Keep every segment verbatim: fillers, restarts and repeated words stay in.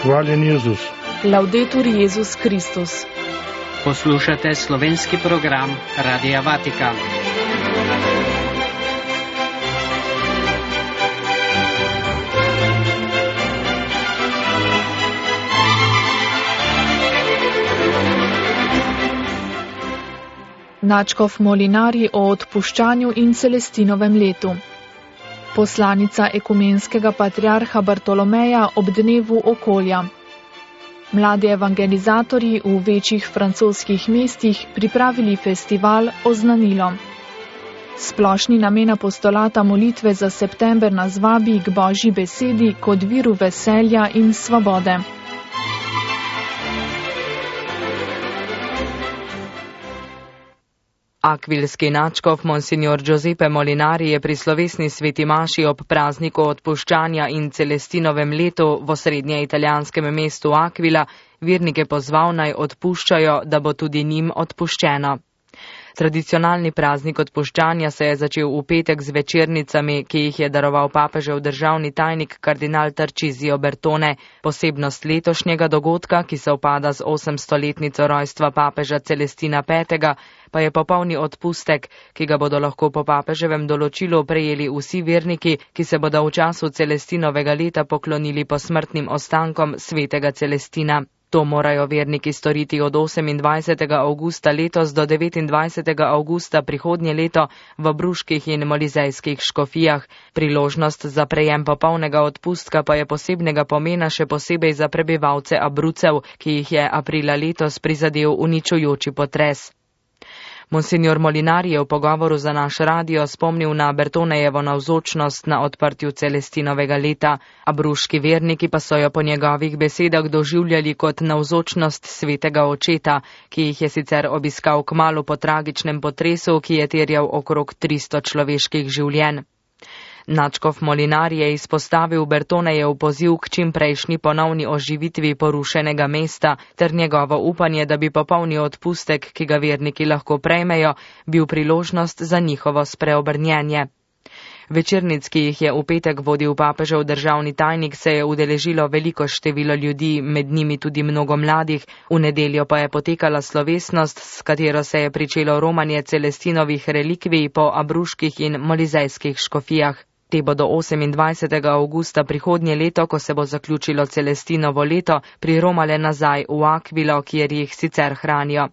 Hvaljen Jezus. Laudetur Jezus Kristus. Poslušate slovenski program Radia Vatikan. Nadškof Molinari o odpuščanju in Celestinovem letu. Poslanica ekumenskega patriarha Bartolomeja ob dnevu okolja. Mladi evangelizatorji v večjih francoskih mestih pripravili festival Oznanilo. Splošni namen apostolata molitve za september nas vabi k Božji besedi kot viru veselja in svobode. Akvilski nadškof monsignor Giuseppe Molinari je pri slovesni sveti maši ob prazniku odpuščanja in Celestinovem letu v osrednje italijanskem mestu Akvila vernike pozval naj odpuščajo, da bo tudi njim odpuščeno. Tradicionalni praznik odpuščanja se je začel v petek z večernicami, ki jih je daroval papežev državni tajnik kardinal Tarcisio Bertone. Posebnost letošnjega dogodka, ki se upada z osemstoletnico rojstva papeža Celestina petega, pa je popolni odpustek, ki ga bodo lahko po papeževem določilu prejeli vsi verniki, ki se bodo v času Celestinovega leta poklonili posmrtnim ostankom svetega Celestina. To morajo verniki storiti od osemindvajsetega avgusta letos do devetindvajsetega avgusta prihodnje leto v bruških in molizejskih škofijah. Priložnost za prejem popolnega odpustka pa je posebnega pomena še posebej za prebivalce Abrucev, ki jih je aprila letos prizadel uničujoči potres. Monsignor Molinari je v pogovoru za naš radio spomnil na Bertonejevo navzočnost na odprtju Celestinovega leta, a bruški verniki pa so jo po njegovih besedah doživljali kot navzočnost svetega očeta, ki jih je sicer obiskal kmalu po tragičnem potresu, ki je terjal okrog tristo človeških življenj. Nadškof Molinari je izpostavil Bertonejev poziv k čimprejšnji ponovni oživitvi porušenega mesta ter njegovo upanje, da bi popolni odpustek, ki ga verniki lahko prejmejo, bil priložnost za njihovo spreobrnjenje. Večernic, ki jih je v petek vodil papežev državni tajnik, se je udeležilo veliko število ljudi, med njimi tudi mnogo mladih. V nedeljo pa je potekala slovesnost, s katero se je pričelo romanje Celestinovih relikvij po abruških in molizejskih škofijah. Te bodo osemindvajsetega avgusta prihodnje leto, ko se bo zaključilo Celestinovo leto, priromale nazaj v Akvilo, kjer jih sicer hranijo.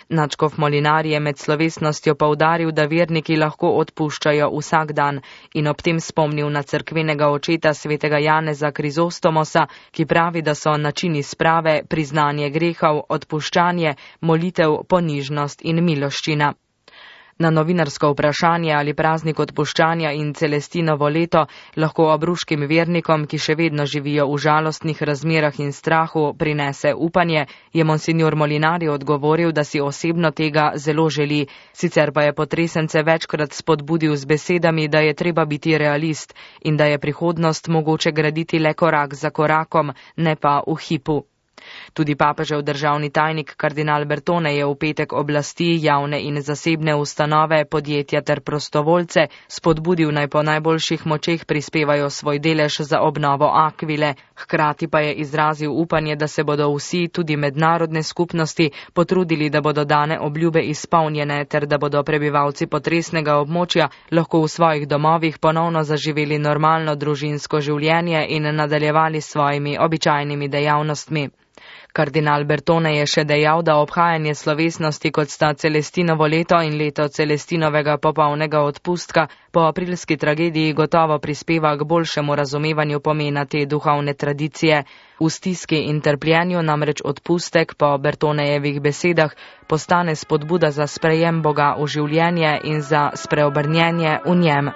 Nadškof Molinari je med slovesnostjo poudaril, da verniki lahko odpuščajo vsak dan in ob tem spomnil na cerkvenega očeta svetega Janeza Krizostomosa, ki pravi, da so načini sprave priznanje grehov, odpuščanje, molitev, ponižnost in miloščina. Na novinarsko vprašanje, ali praznik odpuščanja in Celestinovo leto lahko abruškim vernikom, ki še vedno živijo v žalostnih razmerah in strahu, prinese upanje, je monsignor Molinari odgovoril, da si osebno tega zelo želi. Sicer pa je potresence večkrat spodbudil z besedami, da je treba biti realist in da je prihodnost mogoče graditi le korak za korakom, ne pa v hipu. Tudi papežev državni tajnik kardinal Bertone je v petek oblasti, javne in zasebne ustanove, podjetja ter prostovoljce spodbudil naj po najboljših močeh prispevajo svoj delež za obnovo Akvile. Hkrati pa je izrazil upanje, da se bodo vsi, tudi mednarodne skupnosti, potrudili, da bodo dane obljube izpolnjene ter da bodo prebivalci potresnega območja lahko v svojih domovih ponovno zaživeli normalno družinsko življenje in nadaljevali s svojimi običajnimi dejavnostmi. Kardinal Bertone je še dejal, da obhajanje slovesnosti, kot sta Celestinovo leto in leto Celestinovega popolnega odpustka, po aprilski tragediji gotovo prispeva k boljšemu razumevanju pomena te duhovne tradicije. V stiski in trpljenju namreč odpustek, po Bertonejevih besedah, postane spodbuda za sprejem Boga v življenje in za spreobrnjenje v njem.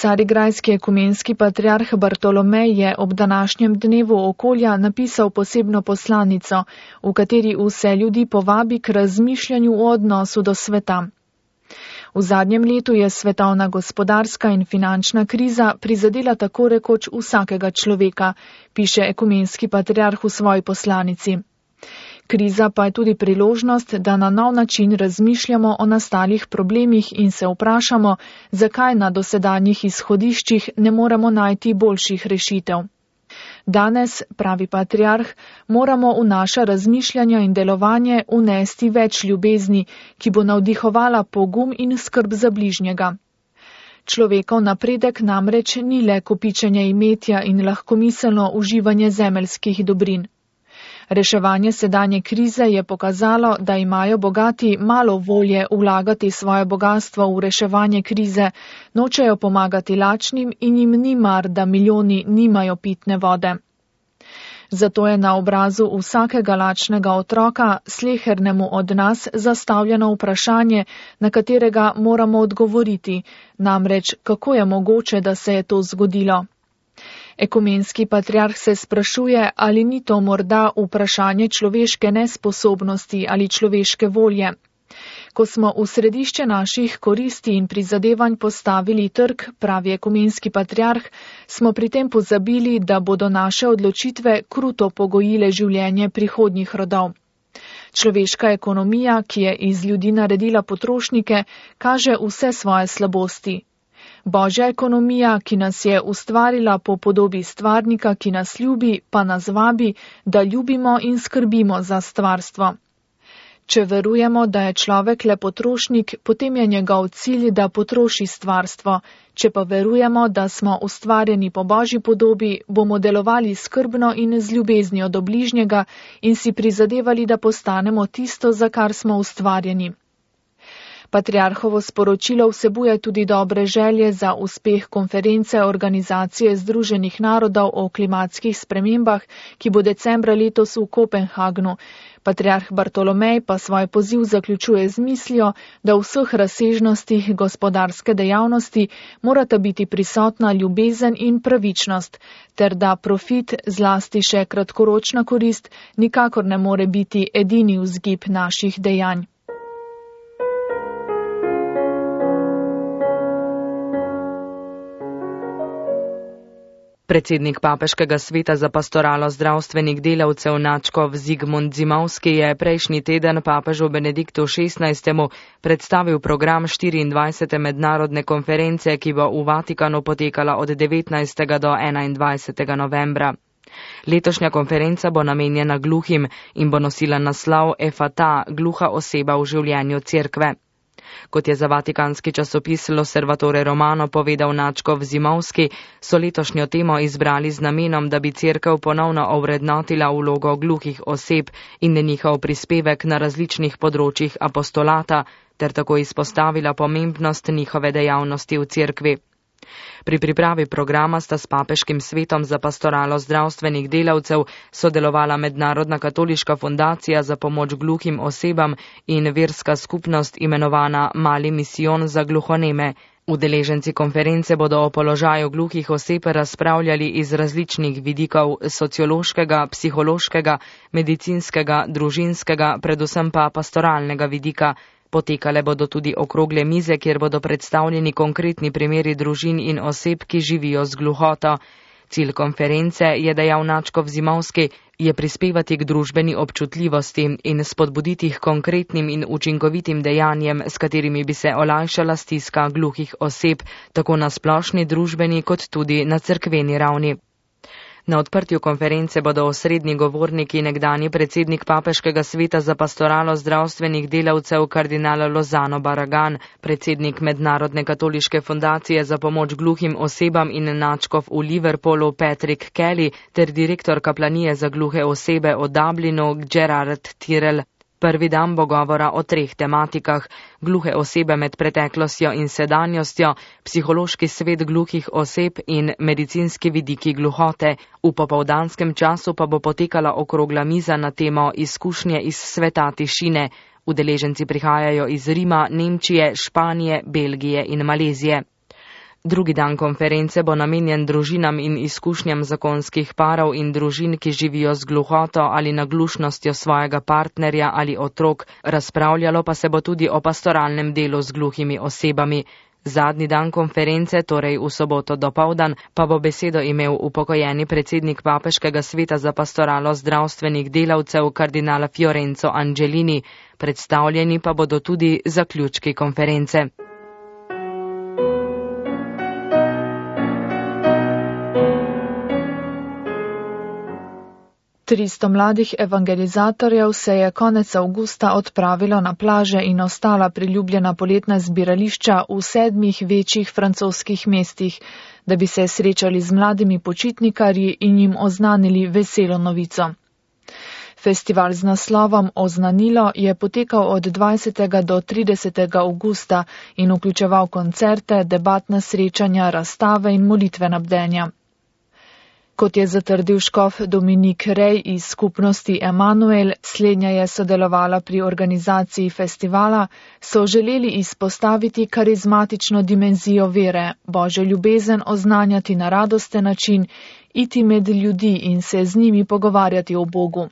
Carigrajski ekumenski patriarh Bartolomej je ob današnjem dnevu okolja napisal posebno poslanico, v kateri vse ljudi povabi k razmišljanju o odnosu do sveta. V zadnjem letu je svetovna gospodarska in finančna kriza prizadela tako rekoč vsakega človeka, piše ekumenski patriarh v svoji poslanici. Kriza pa je tudi priložnost, da na nov način razmišljamo o nastalih problemih in se vprašamo, zakaj na dosedanjih izhodiščih ne moremo najti boljših rešitev. Danes, pravi patriarh, moramo v naša razmišljanja in delovanje unesti več ljubezni, ki bo navdihovala pogum in skrb za bližnjega. Človekov napredek namreč ni le kopičenje imetja in lahkomiselno uživanje zemeljskih dobrin. Reševanje sedanje krize je pokazalo, da imajo bogati malo volje vlagati svoje bogatstvo v reševanje krize, nočejo pomagati lačnim in jim ni mar, da milijoni nimajo pitne vode. Zato je na obrazu vsakega lačnega otroka, slehernemu od nas, zastavljeno vprašanje, na katerega moramo odgovoriti, namreč kako je mogoče, da se je to zgodilo. Ekumenski patriarh se sprašuje, ali ni to morda vprašanje človeške nesposobnosti ali človeške volje. Ko smo v središče naših koristi in prizadevanj postavili trg, pravi ekumenski patriarh, smo pri tem pozabili, da bodo naše odločitve kruto pogojile življenje prihodnjih rodov. Človeška ekonomija, ki je iz ljudi naredila potrošnike, kaže vse svoje slabosti. Božja ekonomija, ki nas je ustvarila po podobi stvarnika, ki nas ljubi, pa nas vabi, da ljubimo in skrbimo za stvarstvo. Če verujemo, da je človek le potrošnik, potem je njegov cilj, da potroši stvarstvo. Če pa verujemo, da smo ustvarjeni po Božji podobi, bomo delovali skrbno in z ljubeznijo do bližnjega in si prizadevali, da postanemo tisto, za kar smo ustvarjeni. Patriarhovo sporočilo vsebuje tudi dobre želje za uspeh konference Organizacije Združenih narodov o klimatskih spremembah, ki bo decembra letos v Kopenhagnu. Patriarh Bartolomej pa svoj poziv zaključuje z mislijo, da v vseh razsežnostih gospodarske dejavnosti morata biti prisotna ljubezen in pravičnost, ter da profit, zlasti še kratkoročna korist, nikakor ne more biti edini vzgib naših dejanj. Predsednik Papeškega sveta za pastoralo zdravstvenih delavcev Načkov Zigmund Zimovski je prejšnji teden papežu Benediktu šestnajstemu predstavil program štiriindvajsete mednarodne konference, ki bo v Vatikanu potekala od devetnajstega do enaindvajsetega novembra. Letošnja konferenca bo namenjena gluhim in bo nosila naslov Efata, gluha oseba v življenju cerkve. Kot je za vatikanski časopis L'Osservatore Romano povedal Načkov Zimovski, so letošnjo temo izbrali z namenom, da bi cerkev ponovno ovrednotila vlogo gluhih oseb in njihov prispevek na različnih področjih apostolata, ter tako izpostavila pomembnost njihove dejavnosti v cerkvi. Pri pripravi programa sta s Papeškim svetom za pastoralo zdravstvenih delavcev sodelovala Mednarodna katoliška fundacija za pomoč gluhim osebam in verska skupnost imenovana Mali misijon za gluhoneme. Udeleženci konference bodo o položaju gluhih oseb razpravljali iz različnih vidikov sociološkega, psihološkega, medicinskega, družinskega, predvsem pa pastoralnega vidika. Potekale bodo tudi okrogle mize, kjer bodo predstavljeni konkretni primeri družin in oseb, ki živijo z gluhoto. Cilj konference, je dejal Načkov Zimovski, je prispevati k družbeni občutljivosti in spodbuditi k konkretnim in učinkovitim dejanjem, s katerimi bi se olajšala stiska gluhih oseb, tako na splošni družbeni kot tudi na cerkveni ravni. Na odprtju konference bodo osrednji govorniki nekdanji predsednik Papeškega sveta za pastoralo zdravstvenih delavcev kardinal Lozano Barragan, predsednik Mednarodne katoliške fundacije za pomoč gluhim osebam in nadškof v Liverpoolu Patrick Kelly ter direktor kaplanije za gluhe osebe v Dublinu Gerard Tyrrell. Prvi dan bo govora o treh tematikah: gluhe osebe med preteklostjo in sedanjostjo, psihološki svet gluhih oseb in medicinski vidiki gluhote. V popoldanskem času pa bo potekala okrogla miza na temo izkušnje iz sveta tišine. Udeleženci prihajajo iz Rima, Nemčije, Španije, Belgije in Malezije. Drugi dan konference bo namenjen družinam in izkušnjam zakonskih parov in družin, ki živijo z gluhoto ali naglušnostjo svojega partnerja ali otrok, razpravljalo pa se bo tudi o pastoralnem delu z gluhimi osebami. Zadnji dan konference, torej v soboto dopoldan, pa bo besedo imel upokojeni predsednik Papeškega sveta za pastoralo zdravstvenih delavcev kardinala Fiorenzo Angelini, predstavljeni pa bodo tudi zaključki konference. tristo mladih evangelizatorjev se je konec avgusta odpravilo na plaže in ostala priljubljena poletna zbirališča v sedmih večjih francoskih mestih, da bi se srečali z mladimi počitnikarji in jim oznanili veselo novico. Festival z naslovom Oznanilo je potekal od dvajsetega do tridesetega avgusta in vključeval koncerte, debatna srečanja, razstave in molitvena bdenja. Kot je zatrdil škof Dominik Rej iz skupnosti Emanuel, slednja je sodelovala pri organizaciji festivala, so želeli izpostaviti karizmatično dimenzijo vere, Božjo ljubezen oznanjati na radosten način, iti med ljudi in se z njimi pogovarjati o Bogu.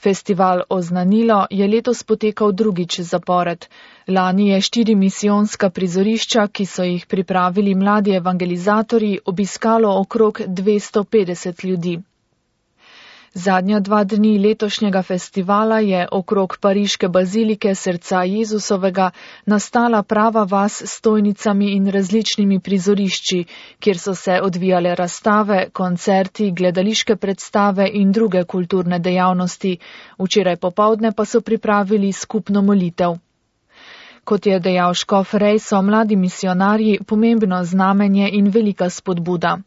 Festival Oznanilo je letos potekal drugič zapored. Lani je štiri misijonska prizorišča, ki so jih pripravili mladi evangelizatorji, obiskalo okrog dvesto petdeset ljudi. Zadnja dva dni letošnjega festivala je okrog pariške bazilike Srca Jezusovega nastala prava vas s stojnicami in različnimi prizorišči, kjer so se odvijale razstave, koncerti, gledališke predstave in druge kulturne dejavnosti. Včeraj popovdne pa so pripravili skupno molitev. Kot je dejal škof Rej, so mladi misionarji pomembno znamenje in velika spodbuda.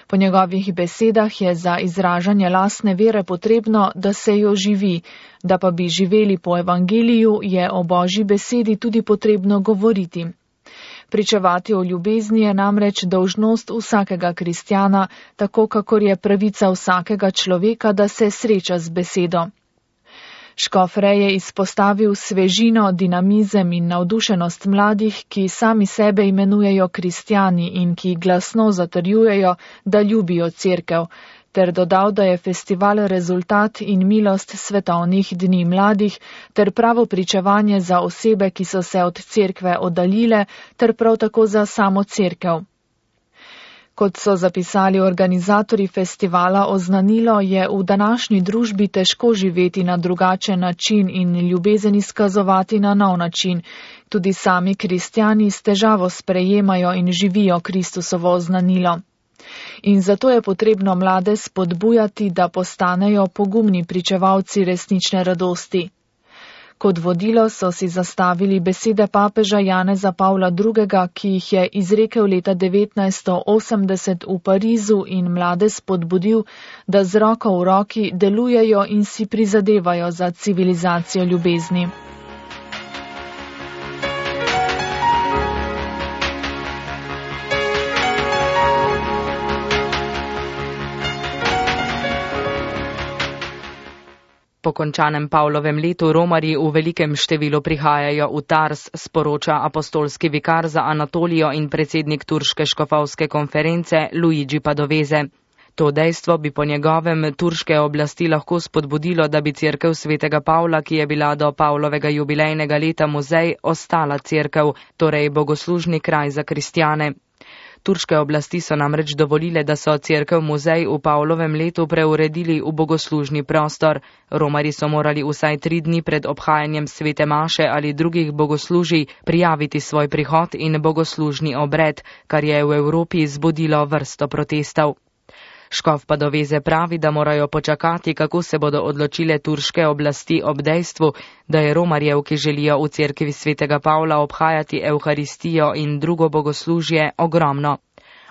Po njegovih besedah je za izražanje lastne vere potrebno, da se jo živi, da pa bi živeli po evangeliju, je o Božji besedi tudi potrebno govoriti. Pričevati o ljubezni je namreč dolžnost vsakega kristjana, tako kakor je pravica vsakega človeka, da se sreča z besedo. Škof Rej je izpostavil svežino, dinamizem in navdušenost mladih, ki sami sebe imenujejo kristjani in ki glasno zatrjujejo, da ljubijo cerkev, ter dodal, da je festival rezultat in milost svetovnih dni mladih, ter pravo pričevanje za osebe, ki so se od cerkve oddaljile, ter prav tako za samo cerkev. Kot so zapisali organizatorji festivala Oznanilo, je v današnji družbi težko živeti na drugačen način in ljubezen izkazovati na nov način. Tudi sami kristjani s težavo sprejemajo in živijo Kristusovo oznanilo. In zato je potrebno mlade spodbujati, da postanejo pogumni pričevalci resnične radosti. Kot vodilo so si zastavili besede papeža Janeza Pavla drugega, ki jih je izrekel leta devetnajststo osemdeset v Parizu in mlade spodbudil, da z roko v roki delujejo in si prizadevajo za civilizacijo ljubezni. Po končanem Pavlovem letu romarji v velikem številu prihajajo v Tars, sporoča apostolski vikar za Anatolijo in predsednik turške škofovske konference Luigi Padoveze. To dejstvo bi po njegovem turške oblasti lahko spodbudilo, da bi cerkev svetega Pavla, ki je bila do Pavlovega jubilejnega leta muzej, ostala cerkev, torej bogoslužni kraj za kristjane. Turške oblasti so namreč dovolile, da so cerkev muzej v Pavlovem letu preuredili v bogoslužni prostor. Romarji so morali vsaj tri dni pred obhajanjem svete maše ali drugih bogoslužij prijaviti svoj prihod in bogoslužni obred, kar je v Evropi zbudilo vrsto protestov. Škof Padoveze pravi, da morajo počakati, kako se bodo odločile turške oblasti ob dejstvu, da je romarjev, ki želijo v cerkvi svetega Pavla obhajati evharistijo in drugo bogoslužje, ogromno.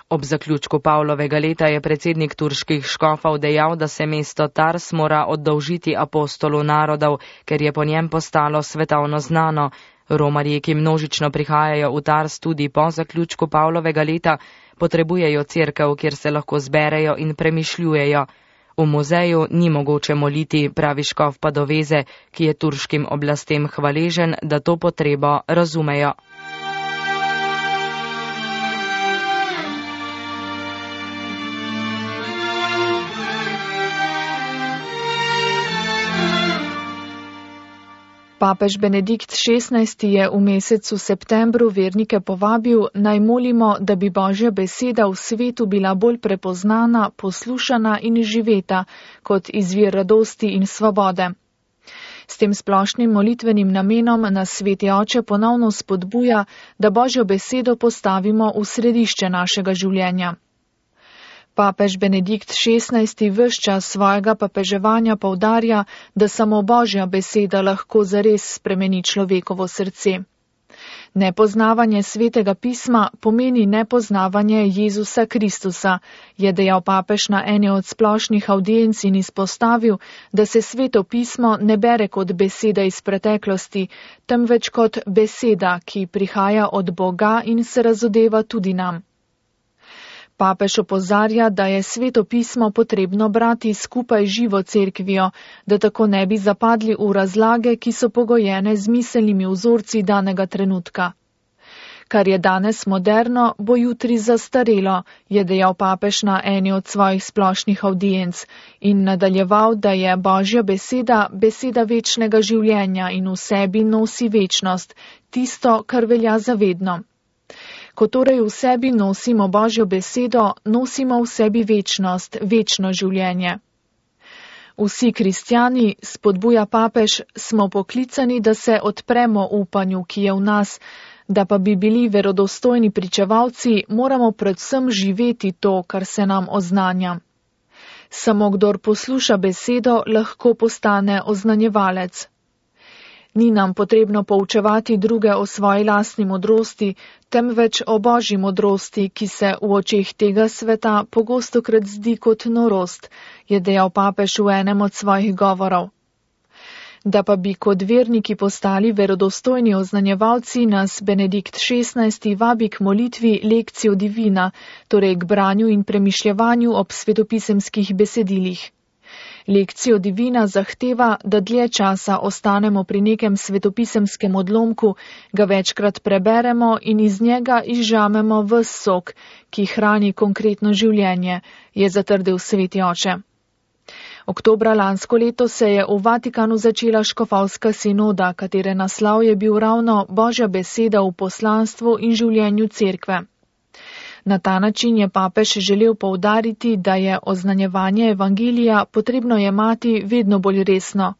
Ob zaključku Pavlovega leta je predsednik turških škofov dejal, da se mesto Tars mora oddolžiti apostolu narodov, ker je po njem postalo svetovno znano. Romarji, ki množično prihajajo v Tars tudi po zaključku Pavlovega leta, potrebujejo cerkev, kjer se lahko zberejo in premišljujejo. V muzeju ni mogoče moliti, pravi škof Padoveze, ki je turškim oblastem hvaležen, da to potrebo razumejo. Papež Benedikt šestnajsti je v mesecu septembru vernike povabil, naj molimo, da bi Božja beseda v svetu bila bolj prepoznana, poslušana in živeta kot izvir radosti in svobode. S tem splošnim molitvenim namenom nas Sveti Oče ponovno spodbuja, da Božjo besedo postavimo v središče našega življenja. Papež Benedikt šestnajsti ves čas svojega papeževanja poudarja, da samo Božja beseda lahko zares spremeni človekovo srce. Nepoznavanje Svetega pisma pomeni nepoznavanje Jezusa Kristusa, je dejal papež na eni od splošnih avdienc in izpostavil, da se Sveto pismo ne bere kot beseda iz preteklosti, temveč kot beseda, ki prihaja od Boga in se razodeva tudi nam. Papež opozarja, da je Sveto pismo potrebno brati skupaj živo cerkvijo, da tako ne bi zapadli v razlage, ki so pogojene z miselnimi vzorci danega trenutka. Kar je danes moderno, bo jutri zastarelo, je dejal papež na eni od svojih splošnih avdienc in nadaljeval, da je Božja beseda beseda večnega življenja in v sebi nosi večnost, tisto, kar velja za vedno. Ko torej v sebi nosimo Božjo besedo, nosimo v sebi večnost, večno življenje. Vsi kristjani, spodbuja papež, smo poklicani, da se odpremo upanju, ki je v nas, da pa bi bili verodostojni pričevalci, moramo predvsem živeti to, kar se nam oznanja. Samo kdor posluša besedo, lahko postane oznanjevalec. Ni nam potrebno poučevati druge o svoji lastni modrosti, temveč o Božji modrosti, ki se v očeh tega sveta pogostokrat zdi kot norost, je dejal papež v enem od svojih govorov. Da pa bi kot verniki postali verodostojni oznanjevalci, nas Benedikt šestnajsti vabi k molitvi Lectio Divina, torej k branju in premišljevanju ob svetopisemskih besedilih. Lectio Divina zahteva, da dlje časa ostanemo pri nekem svetopisemskem odlomku, ga večkrat preberemo in iz njega izžamemo ves sok, ki hrani konkretno življenje, je zatrdil Sveti Oče. Oktobra lansko leto se je v Vatikanu začela škofovska sinoda, katere naslov je bil ravno Božja beseda v poslanstvu in življenju cerkve. Na ta način je papež želel poudariti, da je oznanjevanje evangelija potrebno jemati vedno bolj resno.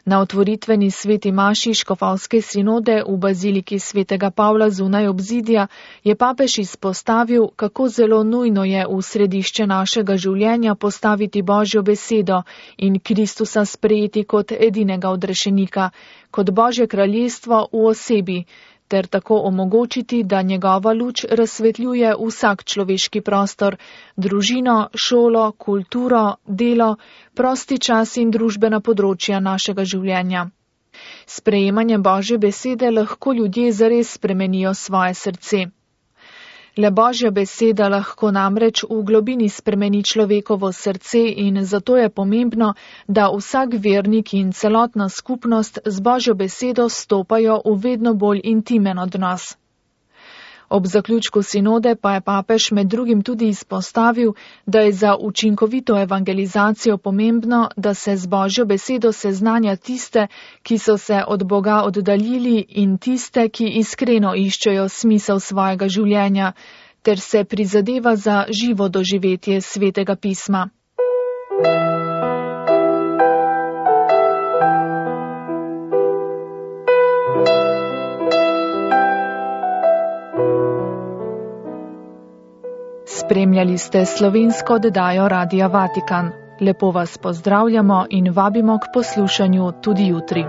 Na otvoritveni sveti maši škofovske sinode v baziliki svetega Pavla zunaj obzidja je papež izpostavil, kako zelo nujno je v središče našega življenja postaviti Božjo besedo in Kristusa sprejeti kot edinega odrešenika, kot Božje kraljestvo v osebi, ter tako omogočiti, da njegova luč razsvetljuje vsak človeški prostor, družino, šolo, kulturo, delo, prosti čas in družbena področja našega življenja. S sprejemanjem Božje besede lahko ljudje zares spremenijo svoje srce. Le Božja beseda lahko namreč v globini spremeni človekovo srce in zato je pomembno, da vsak vernik in celotna skupnost z Božjo besedo stopajo v vedno bolj intimen odnos. Ob zaključku sinode pa je papež med drugim tudi izpostavil, da je za učinkovito evangelizacijo pomembno, da se z Božjo besedo seznanja tiste, ki so se od Boga oddaljili in tiste, ki iskreno iščejo smisel svojega življenja, ter se prizadeva za živo doživetje Svetega pisma. Spremljali ste slovensko oddajo Radia Vatikan. Lepo vas pozdravljamo in vabimo k poslušanju tudi jutri.